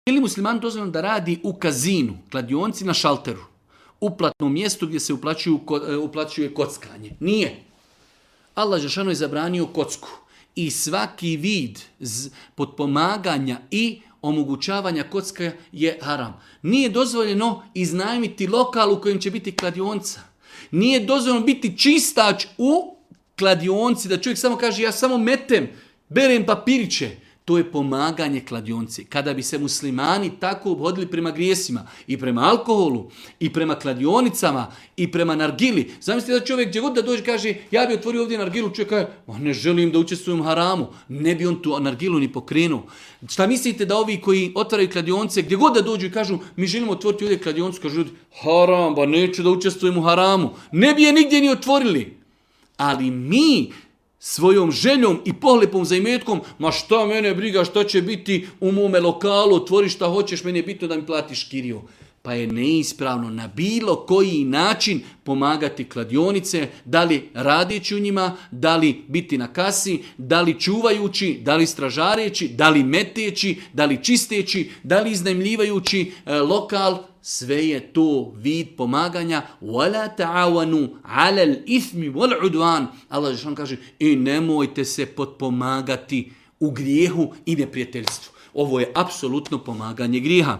Ili musliman dozvoljeno da radi u kazinu, kladionci na šalteru, uplatnom mjestu gdje se uplaćuje kockanje? Nije. Allah dželešanu je zabranio kocku i svaki vid potpomaganja i omogućavanja kocka je haram. Nije dozvoljeno iznajmiti lokal u kojem će biti kladionca. Nije dozvoljeno biti čistač u kladionci, da čovjek samo kaže ja samo metem, berem papiriće. To je pomaganje kladionci. Kada bi se muslimani tako obhodili prema grijesima i prema alkoholu i prema kladionicama i prema nargili. Zamislite da čovjek gdje god da dođe kaže ja bi otvorio ovdje nargilu, čovjek kaže ne želim da učestvujem u haramu. Ne bi on tu nargilu ni pokrenuo. Šta mislite da ovi koji otvaraju kladionce gdje god da dođu i kažu mi želimo otvoriti ovdje kladioncu, kažu ljudi haram, ba neću da učestvujem u haramu. Ne bi je nigdje ni otvorili. Ali mi svojom željom i pohlepom za imetkom, ma šta mene briga, šta će biti u mome lokalu, otvori šta hoćeš, meni je bitno da mi platiš kiriju. Pa je neispravno na bilo koji način pomagati kladionice, da li radeći u njima, da li biti na kasi, da li čuvajući, da li stražareći, da li meteći, da li čisteći, da li iznajmljivajući lokal. Sve je to vid pomaganja. وَلَا تَعَوَنُوا عَلَى الْإِثْمِ وَالْعُدْوَانِ. Allah dželešanu kaže i nemojte se potpomagati u grijehu i neprijateljstvu. Ovo je apsolutno pomaganje grijeha.